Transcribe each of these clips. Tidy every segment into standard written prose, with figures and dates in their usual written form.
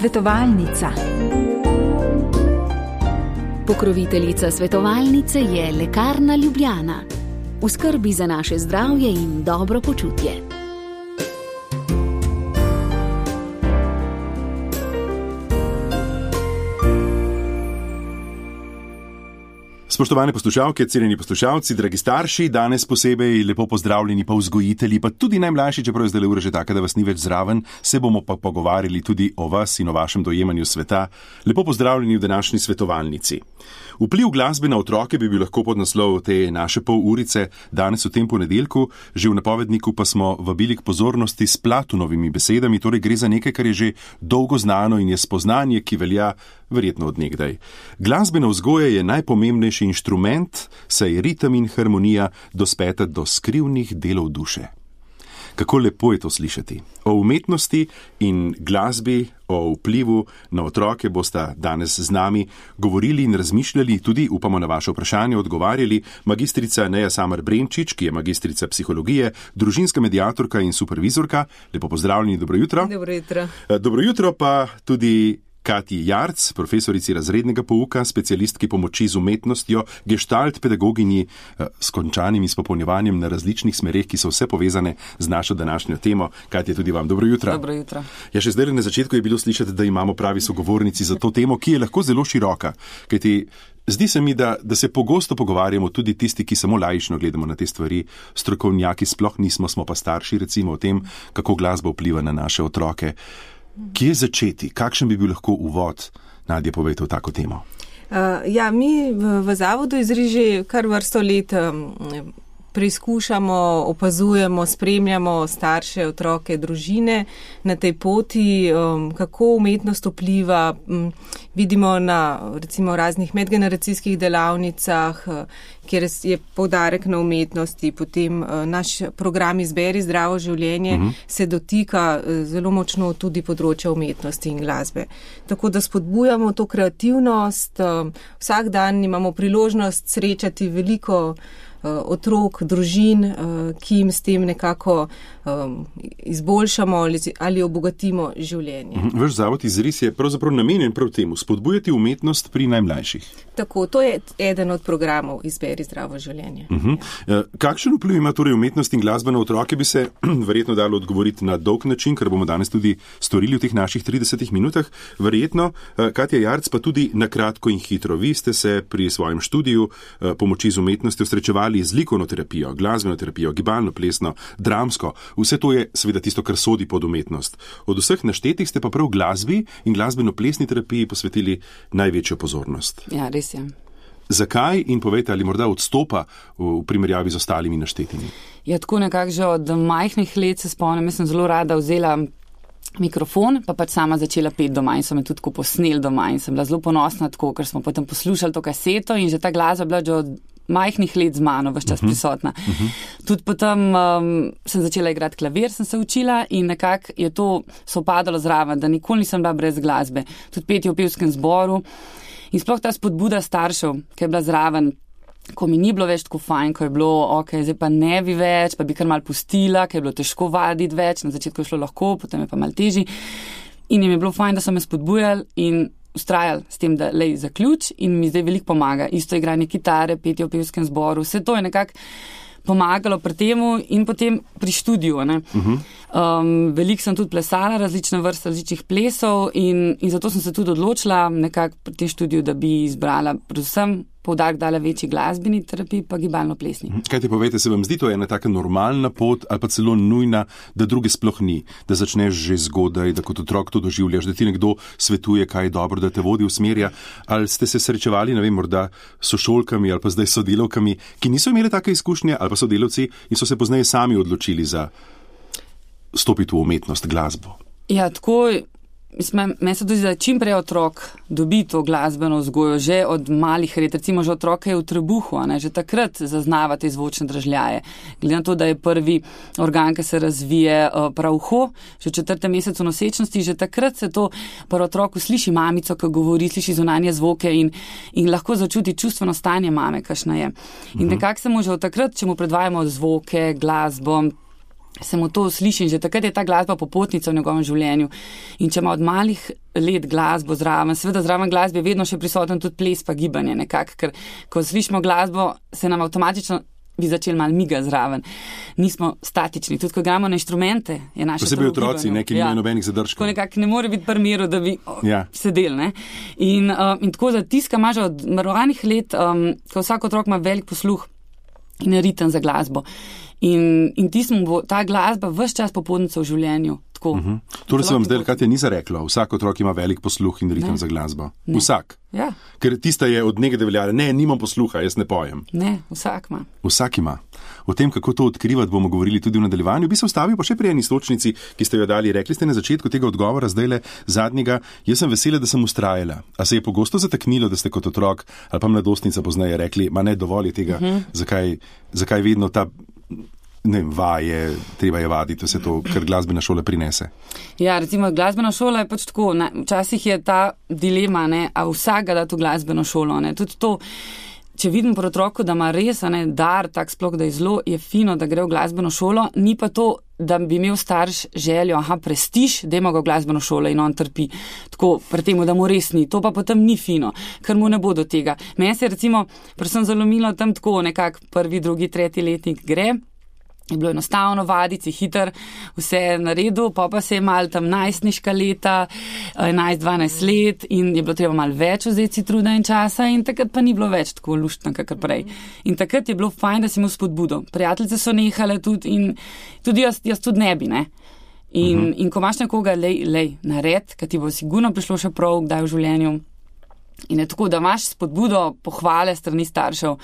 Svetovalnica. Pokroviteljica svetovalnice je Lekarna Ljubljana. V skrbi za naše zdravje in dobro počutje. Spoštovane poslušalke, cenjeni poslušalci, dragi starši, danes posebej lepo pozdravljeni pa vzgojitelji, pa tudi najmlajši, čeprav je zdaj ura že taka, da vas ni več zraven, se bomo pa pogovarjali tudi o vas in o vašem dojemanju sveta. Lepo pozdravljeni v današnji svetovalnici. Vpliv glasbe na otroke bi bil lahko podnaslov te naše pol urice danes v tem ponedeljku, že v napovedniku pa smo vabili k pozornosti s Platonovimi besedami, torej gre za nekaj, kar je že dolgo znano in je spoznanje, ki velja verjetno od nekdaj. Glasbena vzgoja je najpomembnejši inštrument, saj ritem in harmonija dospeta do skrivnih delov duše. Kako lepo je to slišati. O umetnosti in glasbi, o vplivu na otroke bosta danes z nami govorili in razmišljali, tudi upamo na vaše vprašanje odgovarjali, magistrica Neja Samar Brenčič, ki je magistrica psihologije, družinska mediatorka in supervizorka. Lepo pozdravljeni, dobro jutro. Dobro jutro. Dobro jutro pa tudi Katji Jarc, profesorici razrednega pouka, specialistki pomoči z umetnostjo, gestalt pedagoginji s končanim izpopolnjevanjem na različnih smereh, ki so vse povezane z našo današnjo temo. Katja, tudi vam dobro jutro. Dobro jutro. Ja, še zdaj na začetku je bilo slišati, da imamo pravi sogovornici za to temo, ki je lahko zelo široka. Kajti zdi se mi, da se pogosto pogovarjamo tudi tisti, ki samo laično gledamo na te stvari, strokovnjaki sploh nismo, smo pa starši, recimo o tem, kako glasba vpliva na naše otroke. Kje začeti? Kakšen bi bil lahko uvod? Nadja, povejte v tako temo. Mi v Zavodu Izri že kar vrsto let preizkušamo, opazujemo, spremljamo starše, otroke, družine na tej poti, kako umetnost vpliva. Vidimo na recimo raznih medgeneracijskih delavnicah, kjer je poudarek na umetnosti, potem naš program Izberi zdravo življenje se dotika zelo močno tudi področja umetnosti in glasbe. Tako da spodbujamo to kreativnost, vsak dan imamo priložnost srečati veliko otrok, družin, ki jim s tem nekako izboljšamo ali obogatimo življenje. Vaš zavod Izris je pravzaprav namenjen prav temu, spodbujati umetnost pri najmlajših. Tako, to je eden od programov Izberi zdravo življenje. Kakšen vpliv ima torej umetnost in glasba na otroke, bi se verjetno dalo odgovoriti na dolg način, kar bomo danes tudi storili v teh naših 30 minutah. Verjetno, Katja Jarc, pa tudi na kratko in hitro. Vi ste se pri svojem študiju pomoči z umetnostjo srečevali z likovno terapijo, glasbeno terapijo, gibalno, plesno, dramsko. Vse to je seveda tisto, kar sodi pod umetnost. Od vseh naštetih ste pa prav glasbi in glasbeno-plesni terapiji posvetili največjo pozornost. Ja, res je. Zakaj in povejte, ali morda odstopa v primerjavi z ostalimi naštetimi? Ja, tako nekako že od majhnih let se spomnim, jaz sem zelo rada vzela mikrofon, pa pač sama začela peti doma in so me tudi posneli doma in sem bila zelo ponosna tako, ker smo potem poslušali to kaseto in že ta glasba bila že od majhnih let z mano vse čas prisotna. Tudi potem sem začela igrati klavir, sem se učila in nekako je to sopadalo zraven, da nikoli nisem bila brez glasbe. Tudi petje v pevskem zboru in sploh ta spodbuda staršev, ki je bila zraven, ko mi ni bilo več tako fajn, ko je bilo, zdaj pa ne bi več, pa bi kar mal pustila, ker je bilo težko vaditi več, na začetku je šlo lahko, potem je pa mal težji. In jim je bilo fajn, da so me spodbujali in ustrajali s tem, da lej zaključ in mi zdaj veliko pomaga. Isto igranje kitare, petje v pevskem zboru, vse to je nekako pomagalo pri temu in potem pri študiju. Veliko sem tudi plesala, različne vrste različnih plesov in zato sem se tudi odločila nekako pri tem študiju, da bi izbrala predvsem poudarek dala večji glasbeni terapiji, pa gibalno-plesni. Kaj ti povejte, se vam zdi to ena taka normalna pot ali pa celo nujna, da druge sploh ni, da začneš že zgodaj, da kot otrok to doživljaš, da ti nekdo svetuje, kaj je dobro, da te vodi, usmerja, ali ste se srečevali, ne vem, morda sošolkami ali pa zdaj sodelavkami, ki niso imeli take izkušnje, ali pa sodelavci in so se pozneje sami odločili za stopiti v umetnost, glasbo? Ja, tako Meni se tudi, da čim prej otrok dobi to glasbeno vzgojo, že od malih let, recimo že otroka je v trebuhu, že takrat zaznava te zvočne dražljaje. Glede na to, da je prvi organ, ki se razvije prav uho, že v 4. mesecu nosečnosti, že takrat se to pri otroku sliši mamico, ki govori, sliši zunanje zvoke in lahko začuti čustveno stanje mame, kakšna je. In nekako se mu že od takrat, če mu predvajamo zvoke, glasbo, se mu to sliši in že takrat je ta glasba popotnica v njegovem življenju. In če ima od malih let glasbo zraven, seveda zraven glasbe je vedno še prisoten tudi ples pa gibanje nekako, ker ko slišimo glasbo, se nam avtomatično bi začeli malo miga zraven. Nismo statični, tudi ko igramo na inštrumente, je naše posebej otroci, ki nimajo nobenih zadržkov. Ko nekako ne more biti primeru, da bi sedeli. Ne? In tako zatiska ima že od ranih let, ko vsak otrok ima velik posluh in ritem za glasbo. In tismo bo ta glasba ves čas popotnica v življenju. Torej se vam zdaj, Katja, ni zareklo, vsak otrok ima velik posluh in ritem za glasbo. Ne. Vsak. Ja. Ker tista je od nekaj veljala, nimam posluha, jaz ne pojem. Ne, vsak ima. Vsak ima. O tem, kako to odkrivati, bomo govorili tudi v nadaljevanju. Bi se ustavil pa še pri eni istočnici, ki ste jo dali. Rekli ste na začetku tega odgovora, zdajle zadnjega, jaz sem vesela, da sem ustrajala. A se je pogosto zataknilo, da ste kot otrok ali pa mladostnica pozneje rekli, ma ne, dovolj je tega, zakaj vedno ta vaje, treba je vaditi vse to, kar glasbena šola prinese. Ja, recimo glasbena šola je pač tako, včasih je ta dilema, a vsak ga da to glasbeno šolo, tudi to, če vidim pri otroku, da ima res, dar, tak sploh, da je zelo, je fino, da gre v glasbeno šolo, ni pa to, da bi imel starš željo, prestiž, dajmo ga v glasbeno šolo in on trpi tako pri temu, da mu res ni. To pa potem ni fino, ker mu ne bo do tega. Meni se je recimo, predvsem zalomilo tam tako nekak 1., 2., 3. letnik gre, je bilo enostavno vaditi, hiter, vse na redu, pa se je malo tam najstniška leta, 11-12 let in je bilo treba malo več vzeti si truda in časa in takrat pa ni bilo več tako luštno, kakor prej. In takrat je bilo fajn, da si imel spodbudo. Prijateljice so nehale tudi in tudi jaz tudi ne bi, ne. In ko imaš nekoga, lej, nared, ker ti bo sigurno prišlo še prav, kdaj v življenju. In je tako, da imaš spodbudo, pohvale strani staršev,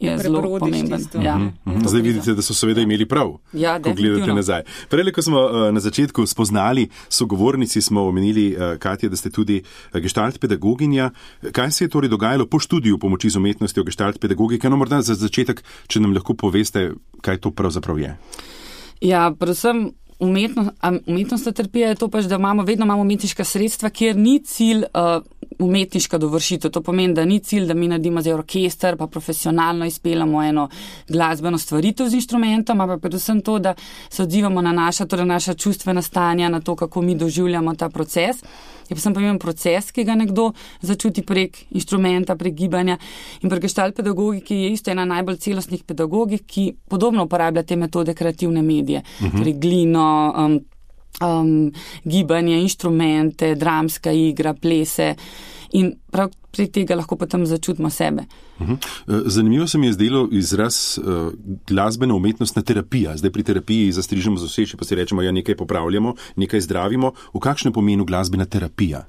je zelo pomemben. Ja. Zdaj vidite, da so seveda imeli prav, ko gledate nazaj. Prej, ko smo na začetku spoznali sogovornici, smo omenili, Katja, da ste tudi gestalt pedagoginja. Kaj se je torej dogajalo po študiju pomoči z umetnostjo gestalt pedagogike? No, morda za začetek, če nam lahko poveste, kaj to pravzaprav je. Ja, predvsem umetnostna terapija je to pač, da vedno imamo umetniška sredstva, kjer ni cilj umetniška dovršitev. To pomeni, da ni cilj, da mi naredimo zdaj orkester, pa profesionalno izpeljamo eno glasbeno stvaritev z inštrumentom, ampak predvsem to, da se odzivamo na naša čustvena stanja, na to, kako mi doživljamo ta proces. Je pa pomemben proces, ki ga nekdo začuti prek inštrumenta, prek gibanja. In pri gestalt pedagogiki je isto ena najbolj celostnih pedagogik, ki podobno uporablja te metode kreativne medije. Torej glino, gibanje, inštrumente, dramska igra, plese in prav pri tega lahko potem začutimo sebe. Zanimivo se mi je zdelo izraz glasbena umetnostna terapija. Zdaj pri terapiji zastrižemo z useši, pa si rečemo, nekaj popravljamo, nekaj zdravimo. V kakšnem pomenu glasbena terapija?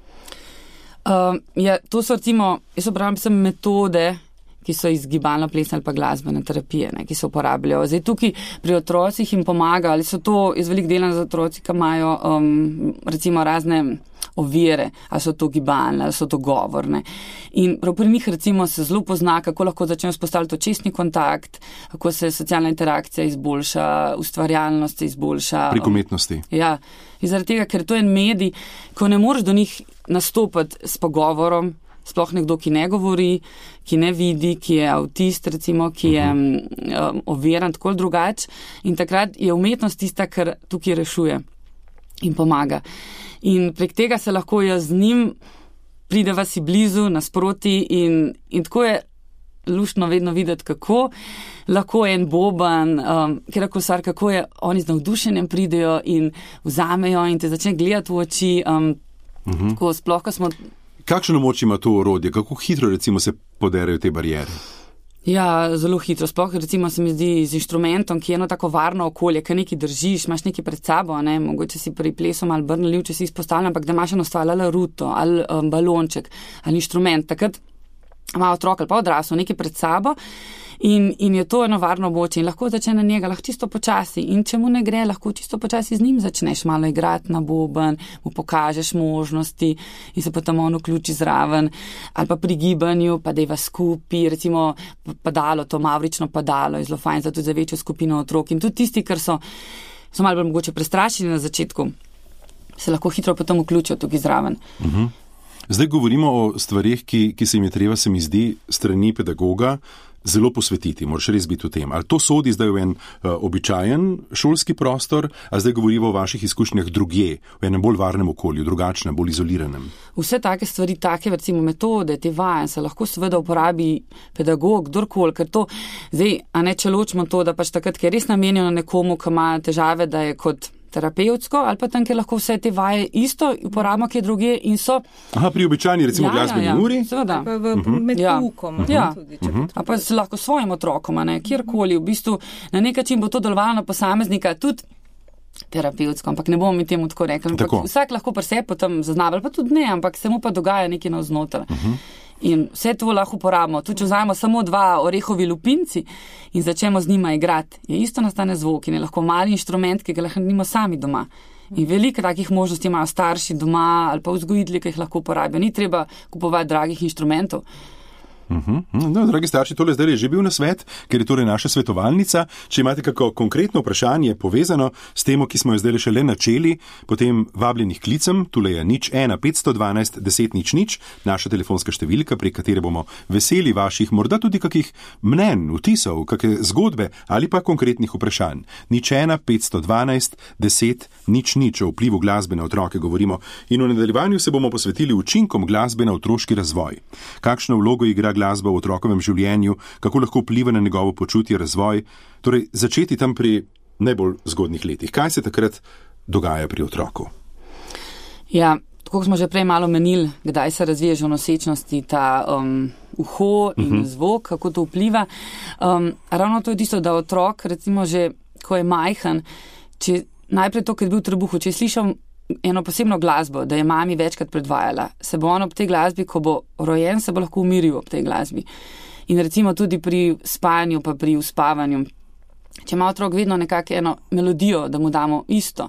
To so recimo, jaz uporabljam metode, ki so iz gibalno-plesne ali pa glasbene terapije, ki se uporabljajo. Zdaj tukaj pri otrocih jim pomaga, ali so to iz velik dela za otroci, ki imajo recimo razne ovire, ali so to gibalne, ali so to govorne. In prav pri njih recimo se zelo pozna, kako lahko začnejo vzpostaviti očesni kontakt, kako se socialna interakcija izboljša, ustvarjalnost se izboljša. Prek umetnosti. Ja, in zaradi tega, ker to je en medij, ko ne moreš do njih nastopati s pogovorom, sploh nekdo, ki ne govori, ki ne vidi, ki je avtist, recimo, ki je oviran, tako ali drugače. In takrat je umetnost tista, kar tukaj rešuje in pomaga. In prek tega se lahko jaz z njim prideva si blizu, nasproti in tako je luštno vedno videti, kako lahko en boban, kjerako stvar, kako je oni z navdušenjem pridejo in vzamejo in te začne gledati v oči. Tako sploh, ko smo... Kakšno moč ima to orodje? Kako hitro recimo se poderejo te barijere? Ja, zelo hitro. Sploh recimo se mi zdi z inštrumentom, ki je eno tako varno okolje, ki nekaj držiš, imaš nekaj pred sabo, mogoče si pri plesom ali brnalil, če si izpostavljen, ampak da imaš eno stvar ali ruto ali balonček ali inštrument. Takrat ima otrok ali pa odrasel nekaj pred sabo in je to eno varno območje in lahko začne na njega, lahko čisto počasi in če mu ne gre, lahko čisto počasi z njim začneš malo igrati na boben, mu pokažeš možnosti in se potem on vključi zraven ali pa pri gibanju, pa dejva skupaj, recimo padalo, to mavrično padalo je zelo fajn za tudi za večjo skupino otrok in tudi tisti, ker so malo bolj mogoče prestrašeni na začetku, se lahko hitro potem vključijo tukaj zraven. Zdaj govorimo o stvarih, ki se jim je treba, se mi zdi, strani pedagoga zelo posvetiti, moraš res biti v tem. Ali to sodi zdaj v en običajen šolski prostor, a zdaj govorimo o vaših izkušnjah drugje, v enem bolj varnem okolju, drugačnem, bolj izoliranem? Vse take stvari, take recimo metode, te vaje se lahko seveda uporabi pedagog, kdorkoli, ker to zdaj, a ne če ločimo to, da pač takrat, ker je res namenjeno nekomu, ki ima težave, da je kot terapevtsko, ali pa tam, ker lahko vse te vaje isto uporabimo, kje druge in so... Aha, pri običajni recimo glasbeni uri? Seveda. Med poukom. A pa se lahko svojim otrokom, ne, kjerkoli, v bistvu na nek način bo to delovalo na posameznika, tudi terapevtsko, ampak ne bomo mi temu tako rekli. Vsak lahko pri sebi potem zaznava, pa tudi ne, ampak se mu pa dogaja nekaj navznoter. In vse to lahko uporabimo. Tudi če vzajemo samo 2 orehovi lupinci in začnemo z njima igrati, je isto nastane zvok in je lahko mali inštrument, ki ga lahko nimo sami doma. In veliko takih možnosti imajo starši doma ali pa vzgojitelji, ki jih lahko uporabijo. Ni treba kupovati dragih inštrumentov. No, dragi starši, tole zdaj je že bil nasvet, ker je torej naša svetovalnica. Če imate kako konkretno vprašanje povezano s temo, ki smo jo zdaj šele načeli, potem vabljenih klicem, tule je 01 512 10 00, naša telefonska številka, prek katere bomo veseli vaših morda tudi kakih mnenj, vtisov, kakšne zgodbe ali pa konkretnih vprašanj. 01 512 10 00, o vplivu glasbe na otroke govorimo in v nadaljevanju se bomo posvetili učinkom glasbe na otroški razvoj. Kakšno vlogo igra glasba v otrokovem življenju, kako lahko vpliva na njegovo počutje, razvoj, torej začeti tam pri najbolj zgodnih letih. Kaj se takrat dogaja pri otroku? Ja, tako smo že prej malo menili, kdaj se razvije že v nosečnosti ta uho in zvok, kako to vpliva. Ravno to je tisto, da otrok, recimo že, ko je majhen, če najprej to, ker je bil v trebuhu, če je slišal eno posebno glasbo, da je mami večkrat predvajala, se bo on ob tej glasbi, ko bo rojen, se bo lahko umiril ob tej glasbi. In recimo tudi pri spanju, pa pri uspavanju. Če ima otrok vedno nekako eno melodijo, da mu damo isto,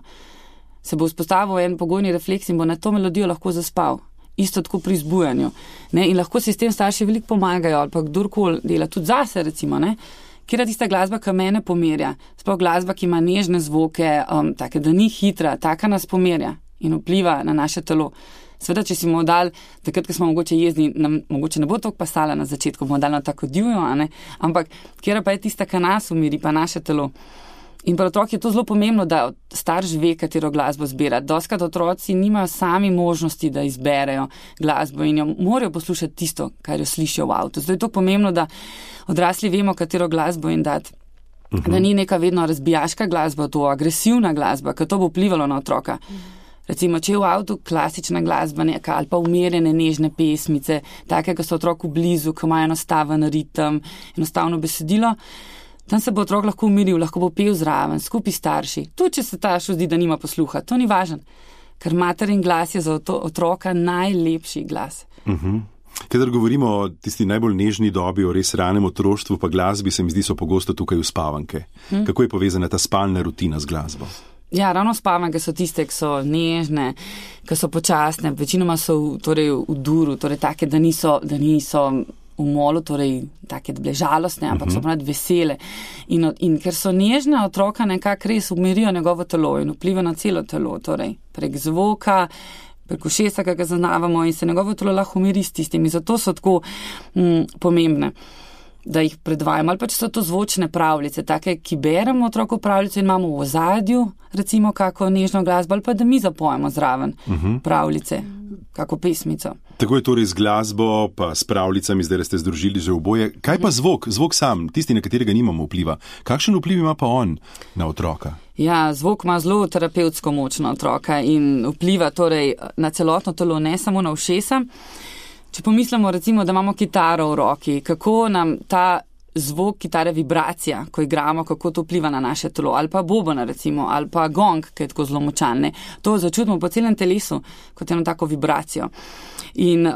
se bo vzpostavil en pogojni refleks in bo na to melodijo lahko zaspal. Isto tako pri zbujanju. Ne? In lahko si s tem starši veliko pomagajo, ali pa kdorkoli dela, tudi zase recimo, ne? Kjer je tista glasba, ki mene pomerja, sploh glasba, ki ima nežne zvoke, take, da ni hitra, taka nas pomerja in vpliva na naše telo. Sveda, če si bomo dali, takrat, ko smo mogoče jezni, nam mogoče ne bo toliko pasala na začetku, bomo dali na tako divjo, ampak kjer pa je tista, ki nas umiri, pa naše telo. In pri otrok je to zelo pomembno, da starš ve, katero glasbo zbira. Dostikrat otroci nimajo sami možnosti, da izberejo glasbo in jo morajo poslušati tisto, kar jo slišijo v avtu. Zato je to pomembno, da odrasli vemo, katero glasbo jim dati. Da ni neka vedno razbijaška glasba, to agresivna glasba, ker to bo vplivalo na otroka. Recimo, če je v avtu klasična glasba neka ali pa umirjene nežne pesmice, take, ki so otroku blizu, ki imajo enostaven ritem, enostavno besedilo, tam se bo otrok lahko umiril, lahko bo pel zraven, skupaj starši. Tudi, če se staršu zdi, da nima posluha, to ni važno, ker materin glas je za otroka najlepši glas. Kadar govorimo o tisti najbolj nežni dobi, o res ranem otroštvu, pa glasbi, se mi zdi, so pogosto tukaj uspavanke. Kako je povezana ta spalna rutina z glasbo? Ja, ravno spavanke so tiste, ki so nežne, ki so počasne, večinoma so v duru, torej take, da niso v molu, torej take, da bile žalostne, ampak so ponad vesele. In ker so nežne, otroka nekako res umirijo njegovo telo in vpliva na celo telo, torej prek zvoka, prek ušesa, ki ga zaznavamo in se njegovo telo lahko umiri s tistimi. Zato so tako pomembne, da jih predvajamo. Ali pa če so to zvočne pravljice, take, ki beremo otroku pravljice in imamo v ozadju, recimo, kako nežno glasbo, ali pa da mi zapojemo zraven pravljice, kako pesmico. Tako je torej z glasbo, pa s pravljicami, zdaj ste združili že oboje. Kaj pa zvok? Zvok sam, tisti, na katerega nimamo vpliva. Kakšen vpliv ima pa on na otroka? Ja, zvok ima zelo terapevtsko moč na otroka in vpliva torej na celotno telo, ne samo na ušesa. Če pomislimo recimo, da imamo kitaro v roki, kako nam ta zvok kitare, vibracija, ko igramo, kako to vpliva na naše telo, ali pa bobona recimo, ali pa gong, ki je tako zelo močan, to začutimo po celem telesu, kot eno tako vibracijo. In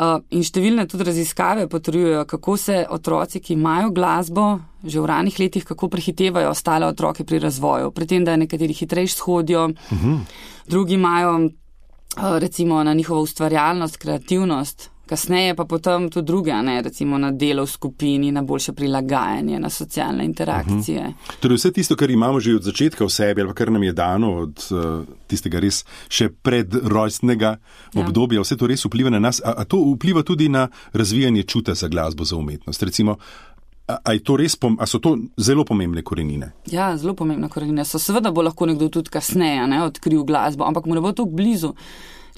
številne tudi raziskave potrjujejo, kako se otroci, ki imajo glasbo že v ranih letih, kako prehitevajo ostale otroke pri razvoju, pri tem, da nekateri hitrejš shodijo, drugi imajo recimo na njihovo ustvarjalnost, kreativnost, kasneje pa potem tudi druge, recimo na delo v skupini, na boljše prilagajanje, na socialne interakcije. Torej vse tisto, kar imamo že od začetka v sebi, ali pa kar nam je dano od tistega res še predrojstnega obdobja, vse to res vpliva na nas, a to vpliva tudi na razvijanje čuta za glasbo, za umetnost. Recimo, A je to res, a so to zelo pomembne korenine? Ja, zelo pomembne korenine so. Seveda bo lahko nekdo tudi kasneje odkril glasbo, ampak mu ne bo tako blizu.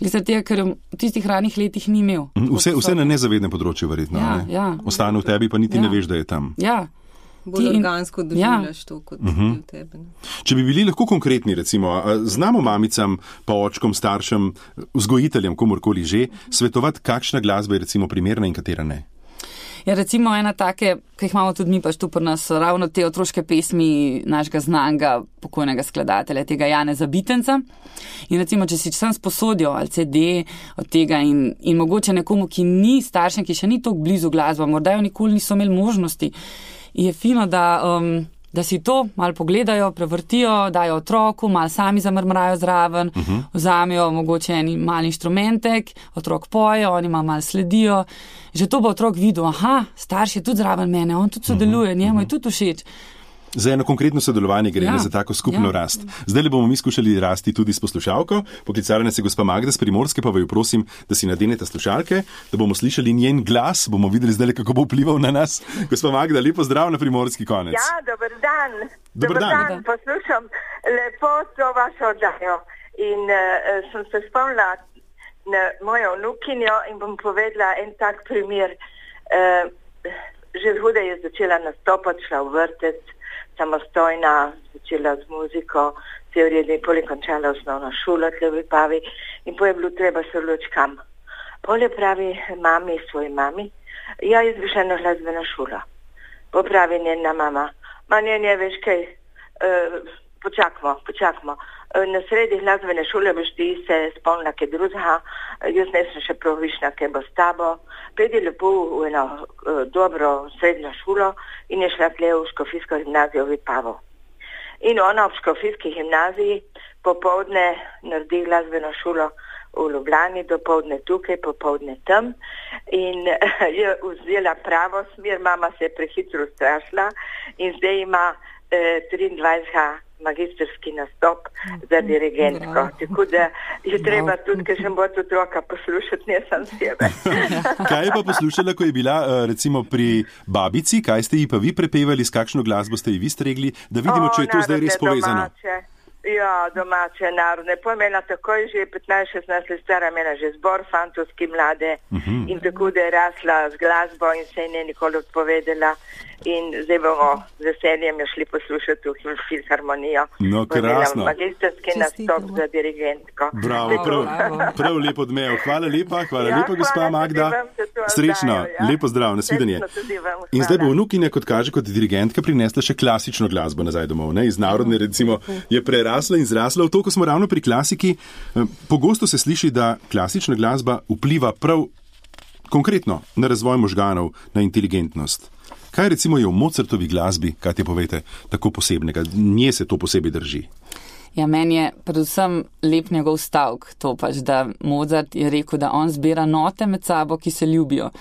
Tega, ker v tistih ranih letih ni imel. Vse na nezavednem področju verjetno. Ja. Ostane v tebi, pa niti ne veš, da je tam. Ja. Bolj organsko doživljaš to, kot v tebi. Če bi bili lahko konkretni, recimo, znamo mamicam, pa očkom, staršem, vzgojiteljem, komorkoli že, svetovati, kakšna glasba je recimo primerna in katera ne? Ja, recimo ena take, ki jih imamo tudi mi pač tu pri nas, ravno te otroške pesmi našega znanga pokojnega skladatelja, tega Janeza Bitenca. In recimo, če si sam sposodijo ali CD od tega in mogoče nekomu, ki ni staršem, ki še ni toliko blizu glasba, morda jo nikoli niso imeli možnosti, je fino, da si to malo pogledajo, prevrtijo, dajo otroku, malo sami zamrmrajo zraven, vzamejo mogoče en mal inštrumentek, otrok poje, oni malo sledijo. Že to bo otrok videl, starš je tudi zraven mene, on tudi sodeluje, njemu je tudi všeč. Za eno konkretno sodelovanje gre, za tako skupno rast. Zdaj le bomo mi skušali rasti tudi s poslušalko. Poklicala nas je gospa Magda z Primorske, pa vaju prosim, da si nadenete slušalke, da bomo slišali njen glas, bomo videli zdaj le, kako bo vplival na nas. Gospa Magda, lepo zdrav na Primorski konec. Ja, dober dan. Dober dan. Poslušam lepo to vašo oddajo in sem se spomnila na mojo vnukinjo in bom povedala en tak primer. Že zgodaj je začela nastopati, šla v vrtec, samostojna, začela z muziko, se je v redu, pol je končala osnovno šolo tle v Vipavi in pol je bilo treba se odločiti kam. Pol je pravi svoji mami, jaz bi šla na glasbeno šolo. Pol pravi njena mama, ne, veš kaj, počakamo. Na sredi glasbene šole boš ti se spomnila kaj drugega, jaz ne sem še prav višna, kaj bo s tabo. Pedi lepo v eno dobro srednjo šolo in je šla tle v Škofijsko gimnazijo v Vipavo. In ona v Škofijski gimnaziji popoldne naredi glasbeno šolo v Ljubljani, dopoldne tukaj, popoldne tam in je vzela pravo smer, mama se je prehitro strašila in zdaj ima 23 magistrski nastop za dirigentko. Tako da je treba tudi, ker še bo otroka poslušati, ne sam sebe. Kaj je pa poslušala, ko je bila recimo pri babici? Kaj ste ji pa vi prepevali, s kakšno glasbo ste ji vi stregli? Da vidimo, če je to zdaj res povezano. Ja, domače, narodne. Pojmela takoj že 15-16 let stara, imela že zbor fantovski mlade in tako da je rasla z glasbo in se je ne nikoli odpovedala. In zdaj bomo z veseljem šli poslušati v filharmonijo. No, krasno. Magistrski nastop za dirigentko. Bravo, prav lepo odmev. Hvala lepa, gospa Magda. Srečno, lepo zdrav, nasvidenje. In zdaj bo vnukinja, kot kaže, kot dirigentka prinesla še klasično glasbo nazaj domov. Iz narodne, recimo, je prerasla in zrasla v to, ko smo ravno pri klasiki. Pogosto se sliši, da klasična glasba vpliva prav konkretno na razvoj možganov, na inteligentnost. Kaj recimo je v Mozartovi glasbi, kaj ti povete, tako posebnega? Nje se to posebej drži? Ja, meni je predvsem lep njegov stavek, to pač, da Mozart je rekel, da on zbira note med sabo, ki se ljubijo.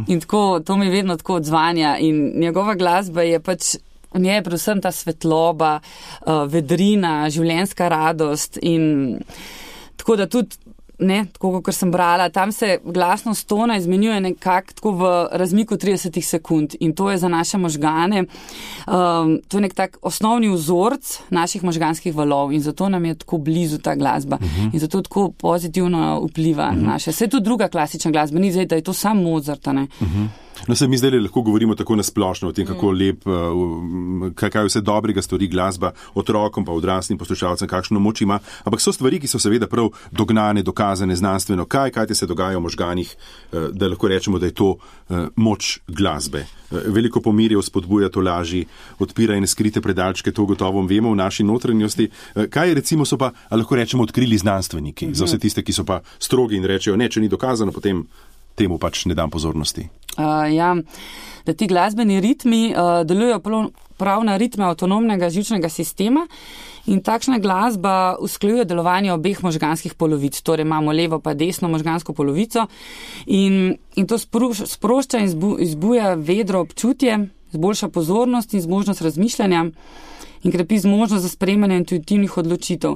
In tako, to mi vedno tako odzvanja in njegova glasba je pač, v njej je predvsem ta svetloba, vedrina, življenjska radost in tako da tudi tako kot sem brala, tam se glasnost tona izmenjuje nekako tako v razmiku 30 sekund in to je za naše možgane, to je nek tak osnovni vzorc naših možganskih valov in zato nam je tako blizu ta glasba in zato tako pozitivno vpliva naše. Vse tudi druga klasična glasba, ni zdaj, da je to sam Mozart, ne? No, se mi zdaj lahko govorimo tako nasplošno o tem, kako lep, kaj vse dobrega stori glasba otrokom pa odraslim poslušalcem, kakšno moč ima, ampak so stvari, ki so seveda prav dognane, dokazane znanstveno. Kaj se dogaja v možganih, da lahko rečemo, da je to moč glasbe. Veliko pomirjev, spodbuja to laži, odpira in skrite predalčke, to gotovo vemo v naši notranjosti. Kaj recimo so pa, lahko rečemo, odkrili znanstveniki, za vse tiste, ki so pa strogi in rečejo, če ni dokazano, potem temu pač ne dam pozornosti. Ja, da ti glasbeni ritmi delujejo prav na ritme avtonomnega živčnega sistema in takšna glasba usklajuje delovanje obeh možganskih polovic. Torej imamo levo pa desno možgansko polovico in to sprošča in izbuja vedro občutje, zboljša pozornost in zmožnost razmišljanja in krepi zmožnost za sprejemanje intuitivnih odločitev.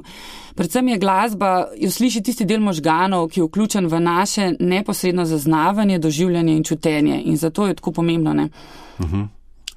Predvsem je glasba, jo sliši tisti del možganov, ki je vključen v naše neposredno zaznavanje, doživljanje in čutenje. In zato je tako pomembno, ne?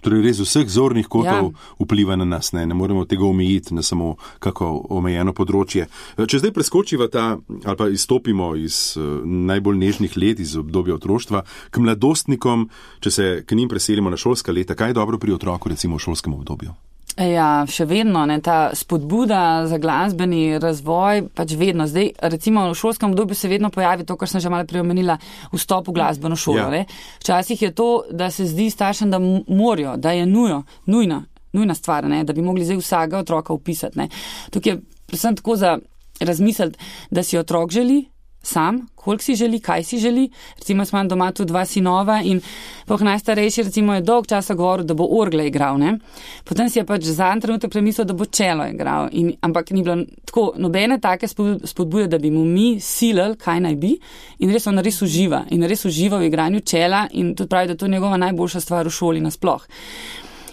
Torej res vseh zornih kotov vpliva na nas, ne moremo tega omejiti na samo kako omejeno področje. Če zdaj preskočiva ali pa izstopimo iz najbolj nežnih let, iz obdobja otroštva, k mladostnikom, če se k njim preselimo na šolska leta, kaj je dobro pri otroku recimo v šolskem obdobju? Ja, še vedno, ta spodbuda za glasbeni razvoj, pač vedno. Zdaj, recimo v šolskem obdobju se vedno pojavi to, kar sem že malo preomenila, vstop v glasbeno šolo. Ja. Včasih je to, da se zdi staršem, da morajo, da je nujna stvar, da bi mogli zdaj vsakega otroka vpisati. Tukaj je predvsem tako za razmisliti, da si otrok želi sam, koliko si želi, kaj si želi. Recimo, smo doma tudi 2 sinova in najstarejši recimo je dolg časa govoril, da bo orgle igral, Potem si je pač zadnji trenutek premislil, da bo čelo igral. Ampak ni bilo tako nobene take spodbude, da bi mu mi silili, kaj naj bi. In res on res uživa. In res uživa v igranju čela in tudi pravi, da to je njegova najboljša stvar v šoli nasploh.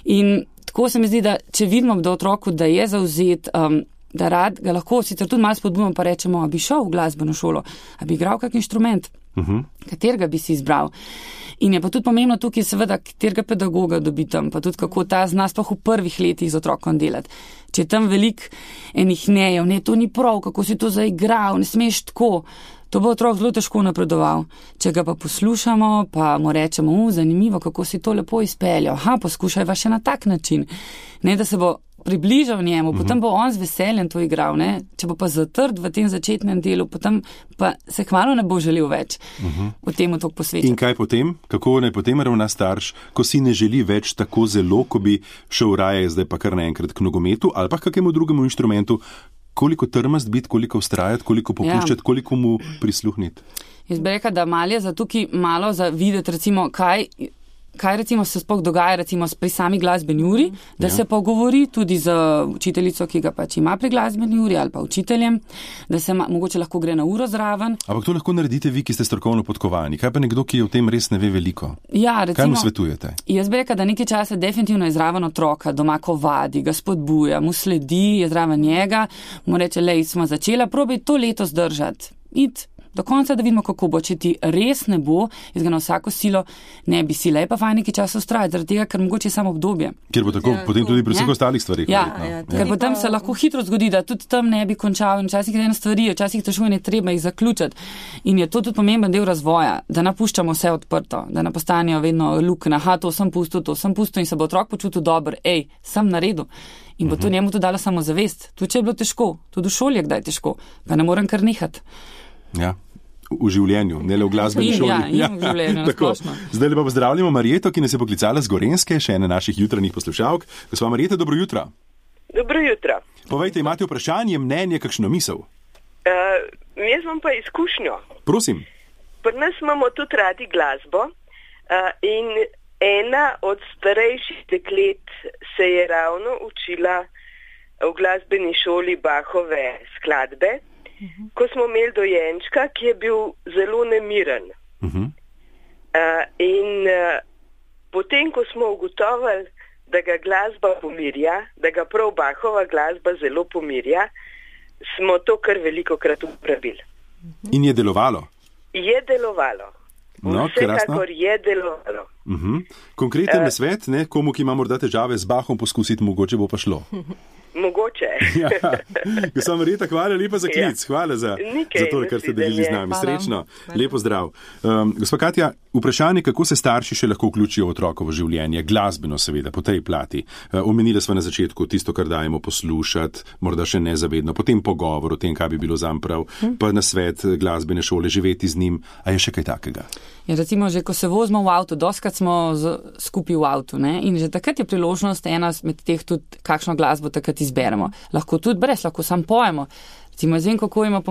In tako se mi zdi, da če vidimo do otroku, da je zavzet, da rad ga lahko sicer tudi malo spodbujamo, pa rečemo, a bi šel v glasbeno šolo, a bi igral kak inštrument, katerega bi si izbral. In je pa tudi pomembno tukaj seveda, katerega pedagoga dobi tam, pa tudi kako ta zna sploh v prvih letih z otrokom delati. Če je tam veliko enih nejev, to ni prav, kako si to zaigral, ne smeš tako, to bo otrok zelo težko napredoval. Če ga pa poslušamo, pa mu rečemo, zanimivo, kako si to lepo izpeljal, poskušajva še na tak način, da se bo približal njemu, potem bo on z veseljem to igral, Če bo pa zatrd v tem začetnem delu, potem pa se hmalo ne bo želel več v temu toliko posvetiti. In kaj potem? Kako naj potem ravna starš, ko si ne želi več tako zelo, ko bi šel raje zdaj pa kar naenkrat k nogometu ali pa kakemu drugemu inštrumentu, koliko trmast biti, koliko vztrajati, koliko popuščati, koliko mu prisluhniti? Jaz bi rekla, da malo je za tukaj malo za videti, recimo, kaj recimo se sploh dogaja recimo pri sami glasbeni uri, da se pogovori tudi z učiteljico, ki ga pač ima pri glasbeni uri ali pa učiteljem, da se mogoče lahko gre na uro zraven. Ampak to lahko naredite vi, ki ste strokovno podkovani. Kaj pa nekdo, ki o tem res ne ve veliko? Ja, recimo, kaj mu svetujete? Jaz bi rekla, da nekaj časa definitivno je zraven otroka, doma ko vadi, ga spodbuja, mu sledi, je zraven njega, mu reče, smo začela, probaj to leto zdržati. Do konca, da vidimo, kako bo. Če ti res ne bo, jaz ga na vsako silo ne bi sila. Je pa fajn nekaj časa ustrajati, zaradi tega, ker mogoče je samo obdobje. Ker bo tako potem tudi pri vseh ostalih stvarih. Ker potem se lahko hitro zgodi, da tudi tam ne bi končal in včasih je ena stvari, včasih težko in je treba jih zaključiti. In je to tudi pomemben del razvoja, da napuščamo vse odprto, da ne postanejo vedno luknja, to sem pustil in se bo otrok počutil dobro, sem naredil. In bo to njemu tudi dalo samozavest. Tudi če je bilo težko, tudi v šoli je kdaj težko, pa ne morem kar nehati. Ja, v življenju, ne le v glasbeni šoli. V življenju, nasplošno. Zdaj lepa pozdravljamo Marjeto, ki nas je poklicala z Gorenjske, še ene naših jutranjih poslušalk. Gospa Marjeta, dobro jutro. Dobro jutro. Povejte, imate vprašanje, mnenje, kakšno misel? Jaz imam pa izkušnjo. Prosim. Pri nas imamo tudi radi glasbo in ena od starejših deklet se je ravno učila v glasbeni šoli Bachove skladbe. Ko smo imeli dojenčka, ki je bil zelo nemiren. In potem, ko smo ugotovili, da ga glasba pomirja, da ga prav Bachova glasba zelo pomirja, smo to kar velikokrat uporabili. In je delovalo? Je delovalo. Vsekakor je delovalo. Konkreten nasvet, komu, ki ima morda težave z Bachom, poskusiti, mogoče bo pa šlo. Mogoče. Gospa Marjeta, hvala lepa za klic, hvala za to, kar ste delili z nami. Srečno, lepo zdrav. Gospa Katja, vprašanje, kako se starši še lahko vključijo v otrokovo življenje, glasbeno seveda, po tej plati. Omenili smo na začetku tisto, kar dajemo poslušati, morda še nezavedno, potem pogovor o tem, kaj bi bilo zam prav, pa na svet glasbene šole, živeti z njim. A je še kaj takega? Ja, recimo, že ko se vozimo v avtu, doskrat smo skupaj v avtu, in že takrat je priložnost ena med teh tudi, kakšno glasbo takrat izberemo. Lahko tudi brez, lahko sam pojemo. Recimo, jaz vem, kako ima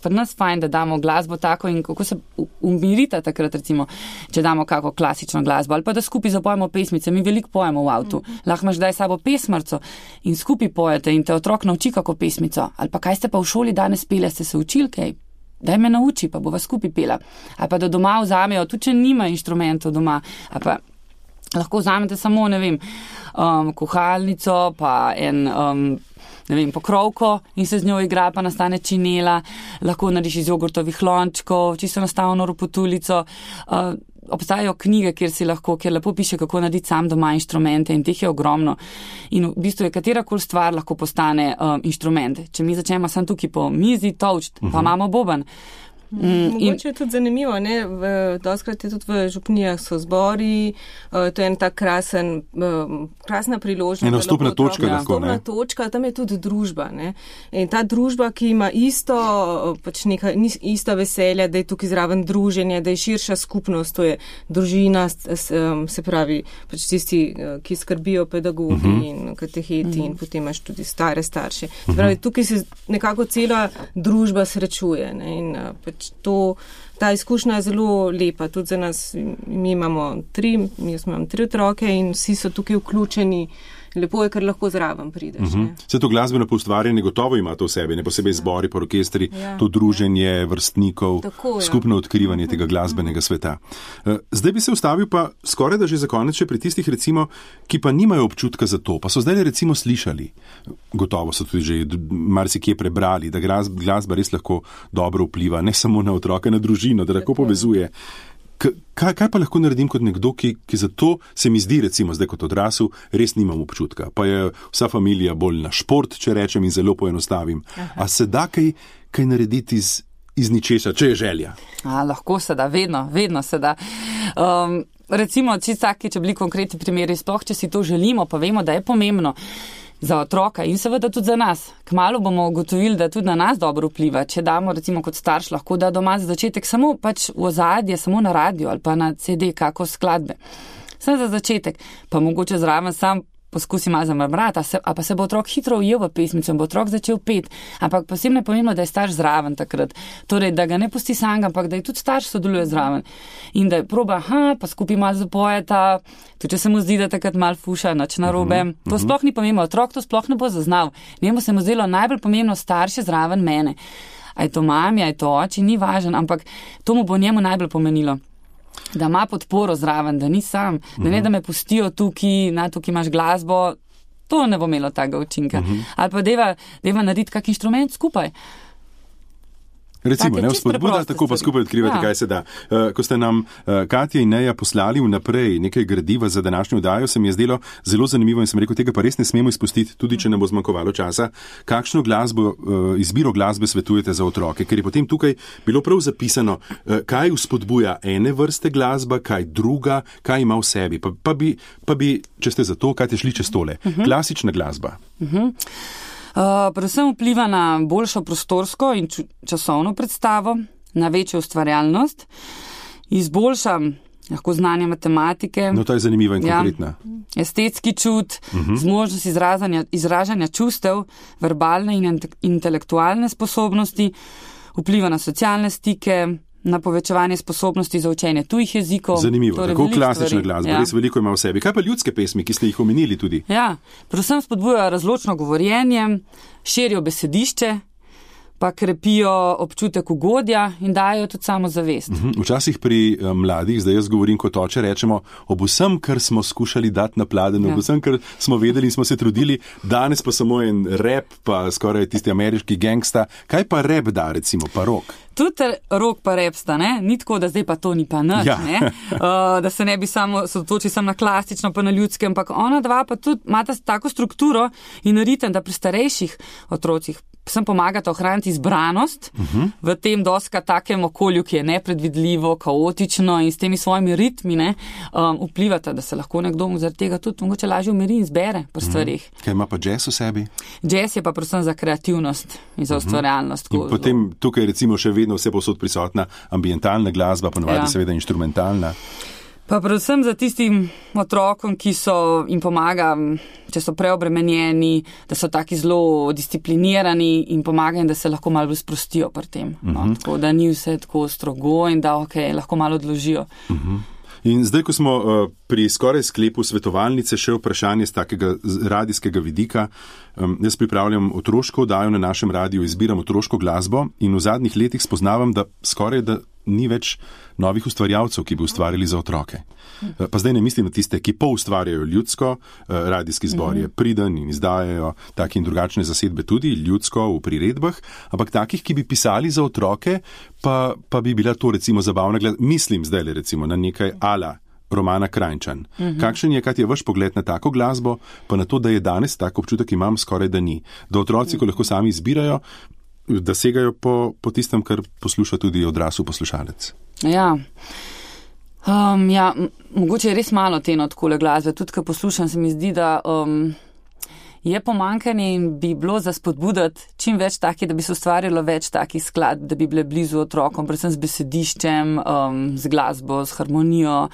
pri nas fajn, da damo glasbo tako in kako se umirita takrat, recimo, če damo kako klasično glasbo ali pa da skupaj zapojemo pesmice. Mi veliko pojemo v avtu. Lahko imaš daj sabo pesmarco in skupaj pojete in te otrok nauči kako pesmico. Ali pa kaj ste pa v šoli danes pele, ste se učili kaj? Daj me nauči, pa bova skupaj pela. Ali pa da doma vzamejo, tudi če nima inštrumentov doma, ali pa lahko vzamete samo, kuhalnico, pa pokrovko in se z njo igra, pa nastane činela, lahko narediš iz jogurtovih lončkov, čisto enostavno ropotulico. obstajajo knjige, kjer lepo piše, kako narediti sam doma inštrumente in teh je ogromno. In v bistvu je katerakoli stvar lahko postane inštrument. Če mi začnemo sam tukaj po mizi tolčt, pa imamo boben. Mogoče je tudi zanimivo, ne? Doskrat je tudi v župnijah so zbori, to je en tak krasna priložnost. Ena vstopna točka lahko, ne? Vstopna točka, tam je tudi družba, ne? In ta družba, ki ima isto veselje, da je tukaj zraven druženje, da je širša skupnost, to je družina, se pravi, pač tisti, ki skrbijo pedagogi in kateheti in potem imaš tudi stare starše. Se pravi, tukaj se nekako cela družba srečuje, ne? In ta izkušnja je zelo lepa, tudi za nas, jaz imam 3 otroke in vsi so tukaj vključeni. Lepo je, ker lahko zraven prideš. Vse to glasbeno poustvarjanje gotovo ima to v sebi, ne posebej zbori, pa orkestri, to druženje vrstnikov, skupno odkrivanje tega glasbenega sveta. Zdaj bi se ustavil pa skoraj da že za konec še pri tistih recimo, ki pa nimajo občutka za to, pa so zdaj recimo slišali, gotovo so tudi že marsikje prebrali, da glasba res lahko dobro vpliva, ne samo na otroke, na družino, da lahko povezuje. Kaj pa lahko naredim kot nekdo, ki za to se mi zdi, recimo zdaj kot odrasel, res nimam občutka. Pa je vsa familija bolj na šport, če rečem in zelo poenostavim. A se da kaj narediti iz ničesa, če je želja? Lahko se da, vedno se da. Recimo, če bili konkretni primeri, sploh če si to želimo, pa vemo, da je pomembno za otroka in seveda tudi za nas. Kmalu bomo ugotovili, da tudi na nas dobro vpliva. Če damo recimo kot starš lahko da doma za začetek samo pač v ozadje, samo na radio ali pa na CD, kako skladbe. Samo za začetek. Pa mogoče zraven sam poskusi malo zamrmrati, a pa se bo otrok hitro ujel v pesmico in bo otrok začel pet. Ampak posebno je pomembno, da je starš zraven takrat. Torej, da ga ne pusti sam, ampak da je tudi starš sodeluje zraven. In da je proba, pa skupaj malo zapojeta, tudi če se mu zdi, da takrat malo fuša, nič narobe. To sploh ni pomembno, otrok to sploh ne bo zaznal. Njemu se mu zdelo najbolj pomembno starše zraven mene. A je to mami, a je to oči, ni važen, ampak to mu bo njemu najbolj pomenilo. Da ima podporo zraven, da ni sam, da ne da me pustijo tukaj imaš glasbo, to ne bo imelo takega učinka. Ali pa deva narediti kak inštrument skupaj. Recimo, ne vzpodbuda, tako pa skupaj odkrivati, kaj se da. Ko ste nam Katja in Neja poslali vnaprej nekaj gradiva za današnjo oddajo, se mi je zdelo zelo zanimivo in sem rekel, tega pa res ne smemo izpustiti, tudi če ne bo zmanjkovalo časa. Kakšno izbiro glasbe svetujete za otroke? Ker je potem tukaj bilo prav zapisano, kaj vzpodbuja ene vrste glasba, kaj druga, kaj ima v sebi. Pa bi, če ste za to, kaj te šli čez tole. Klasična glasba. Predvsem vpliva na boljšo prostorsko in časovno predstavo, na večjo ustvarjalnost, izboljša lahko znanje matematike. No, to je zanimiva in konkretna. Estetski čut, zmožnost izražanja čustev, verbalne in intelektualne sposobnosti, vpliva na socialne stike, na povečevanje sposobnosti za učenje tujih jezikov. Zanimivo, torej, tako klasična glasba, res veliko ima v sebi. Kaj pa ljudske pesmi, ki ste jih omenili tudi? Ja, predvsem spodbujajo razločno govorjenje, širijo besedišče, pa krepijo občutek ugodja in dajo tudi samozavest. Včasih pri mladih, zdaj jaz govorim kot oče, rečemo ob vsem, kar smo skušali dati na pladen, ob vsem, kar smo vedeli in smo se trudili, danes pa samo en rap, pa skoraj tisti ameriški gangsta. Kaj pa rap da, recimo, pa rock? Tudi rock pa rap sta, ne? Ni tako, da zdaj pa to ni pa nič, ne? Da se ne bi samo sotočil sam na klasično, pa na ljudske, ampak ona dva pa tudi imata tako strukturo in ritem, da pri starejših otrocih sem pomagata ohraniti izbranost v tem doska takem okolju, ki je nepredvidljivo, kaotično in s temi svojimi ritmi vplivata, da se lahko nekdo zaradi tega tudi mogoče lažje umiri in zbere pri stvarih. Kaj ima pa jazz v sebi? Jazz je pa predvsem za kreativnost in za ustvarjalnost. In potem tukaj recimo še vedno vse povsod prisotna ambientalna glasba, ponovadi seveda inštrumentalna. Pa predvsem za tistim otrokom, ki so jim pomaga, če so preobremenjeni, da so taki zelo disciplinirani in pomagajo, da se lahko malo sprostijo pri tem. Tako da ni vse tako strogo in da lahko malo odložijo. In zdaj, ko smo pri skoraj sklepu svetovalnice, še vprašanje z takega radijskega vidika. Jaz pripravljam otroško oddajo na našem radiju, izbiram otroško glasbo in v zadnjih letih spoznavam, da skoraj da ni več novih ustvarjalcev, ki bi ustvarjali za otroke. Pa zdaj ne mislim na tiste, ki ustvarjajo ljudsko, radijski zbor je priden in izdajajo take in drugačne zasedbe tudi ljudsko v priredbah, ampak takih, ki bi pisali za otroke, pa bi bila to recimo zabavna mislim zdaj recimo na nekaj ala Romana Krajnčan. Kakšen je, kaj je vaš pogled na tako glasbo, pa na to, da je danes, tako občutek imam, skoraj da ni. Da otroci, ko lahko sami izbirajo, da segajo po tistem, kar posluša tudi odrasel poslušalec. Ja. Mogoče je res malo te takole glasbe. Tudi, ko poslušam, se mi zdi, da je pomanjkanje in bi bilo za spodbudati čim več takih, da bi se ustvarjalo več takih skladb, da bi bile blizu otrokom, predvsem z besediščem, z glasbo, z harmonijo.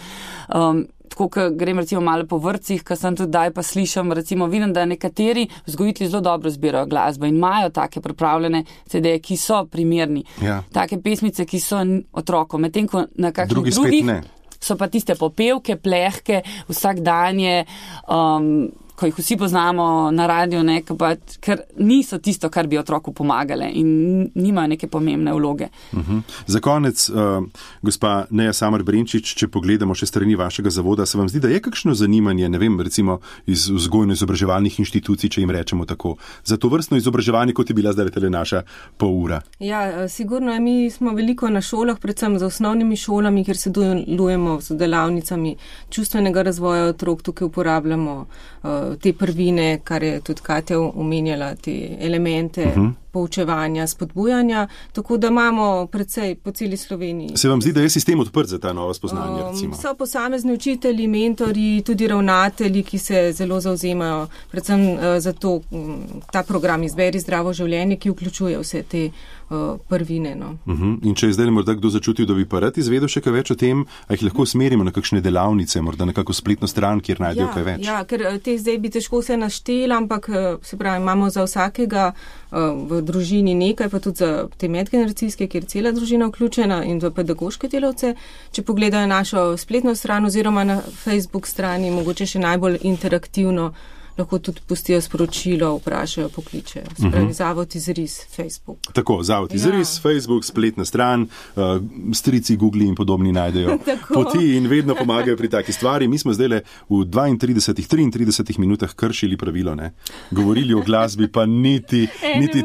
Tako, ko grem recimo malo po vrtcih, ko sem tudi daj pa slišam, recimo vidim, da nekateri vzgojitelji zelo dobro zbirajo glasbo in imajo take pripravljene CD-je, ki so primerni. Ja. Take pesmice, ki so otrokom, medtem ko na kakšnih drugih so pa tiste popevke, plehke, vsakdanje, ko jih vsi poznamo na radiju, ker niso tisto, kar bi otroku pomagale in nimajo neke pomembne vloge. Za konec, gospa Neja Samar Brenčič, če pogledamo še strani vašega zavoda, se vam zdi, da je kakšno zanimanje, ne vem, recimo iz vzgojno-izobraževalnih inštitucij, če jim rečemo tako, za to vrstno izobraževanje, kot je bila zdaj tele naša pol ura? Ja, sigurno, mi smo veliko na šolah, predvsem za osnovnimi šolami, kjer sodelujemo z delavnicami čustvenega razvoja otrok, tukaj uporabljamo te prvine, kar je tudi Katja omenjala, te elemente poučevanja, spodbujanja, tako da imamo predvsej po celi Sloveniji. Se vam zdi, da je sistem odprt za ta nova spoznanja, recimo? So posamezni učitelji, mentori, tudi ravnatelji, ki se zelo zavzemajo, predvsem za to, ta program Izberi zdravo življenje, ki vključuje vse te prvine. In če je zdaj morda kdo začutil, da bi pa rad izvedel še kaj več o tem, a jih lahko smerimo na kakšne delavnice, morda na kakšno spletno stran, kjer najdejo kaj več? Ja, ker teh zdaj bi težko vse naštela, ampak se pravi, imamo za vsakega v družini nekaj, pa tudi za te medgeneracijske, kjer je cela družina vključena in za pedagoške delavce. Če pogledajo našo spletno stran oziroma na Facebook strani, mogoče še najbolj interaktivno, lahko tudi pustijo sporočilo, vprašajo, pokličejo. Se pravi, Zavod Izris, Facebook. Tako, Zavod Izris, Facebook, spletna stran, strici, Google in podobni najdejo poti in vedno pomagajo pri taki stvari. Mi smo zdaj v 33 minutah kršili pravilo, ne? Govorili o glasbi, pa niti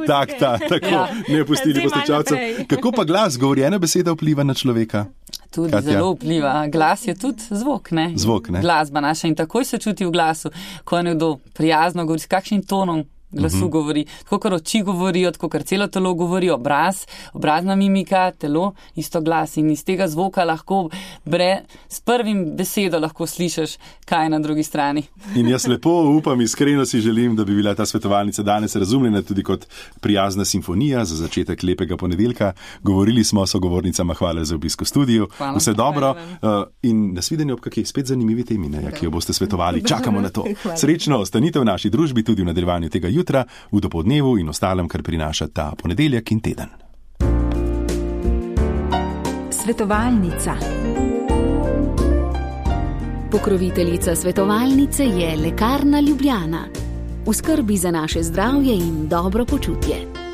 takta, tako ne pustili poslušalcev. Kako pa glas, govorjena beseda vpliva na človeka? Tudi Katja. Zelo vpliva. Glas je tudi zvok, ne? Zvok, ne? Glasba naša in takoj se čuti v glasu, ko je nekdo prijazno govori, s kakšnim tonom glasu govori, tako kar oči govorijo, tako kar celo telo govori, obrazna mimika, telo, isto glas in iz tega zvoka lahko s prvim besedo lahko slišiš, kaj je na drugi strani. In jaz lepo upam, iskreno si želim, da bi bila ta svetovalnica danes razumljena tudi kot prijazna simfonija za začetek lepega ponedeljka. Govorili smo sogovornicama, hvala za obisk v studiu. Hvala. Vse dobro in nasvidenje ob kakej spet zanimivi temi, ki jo boste svetovali. Čakamo na to. Srečno ostanite v naši družbi tudi v nadaljevanju tega jutra, v dopoldnevu in ostalem, kar prinaša ta ponedeljek in teden. Svetovalnica. Pokroviteljica svetovalnice je Lekarna Ljubljana. V skrbi za naše zdravje in dobro počutje.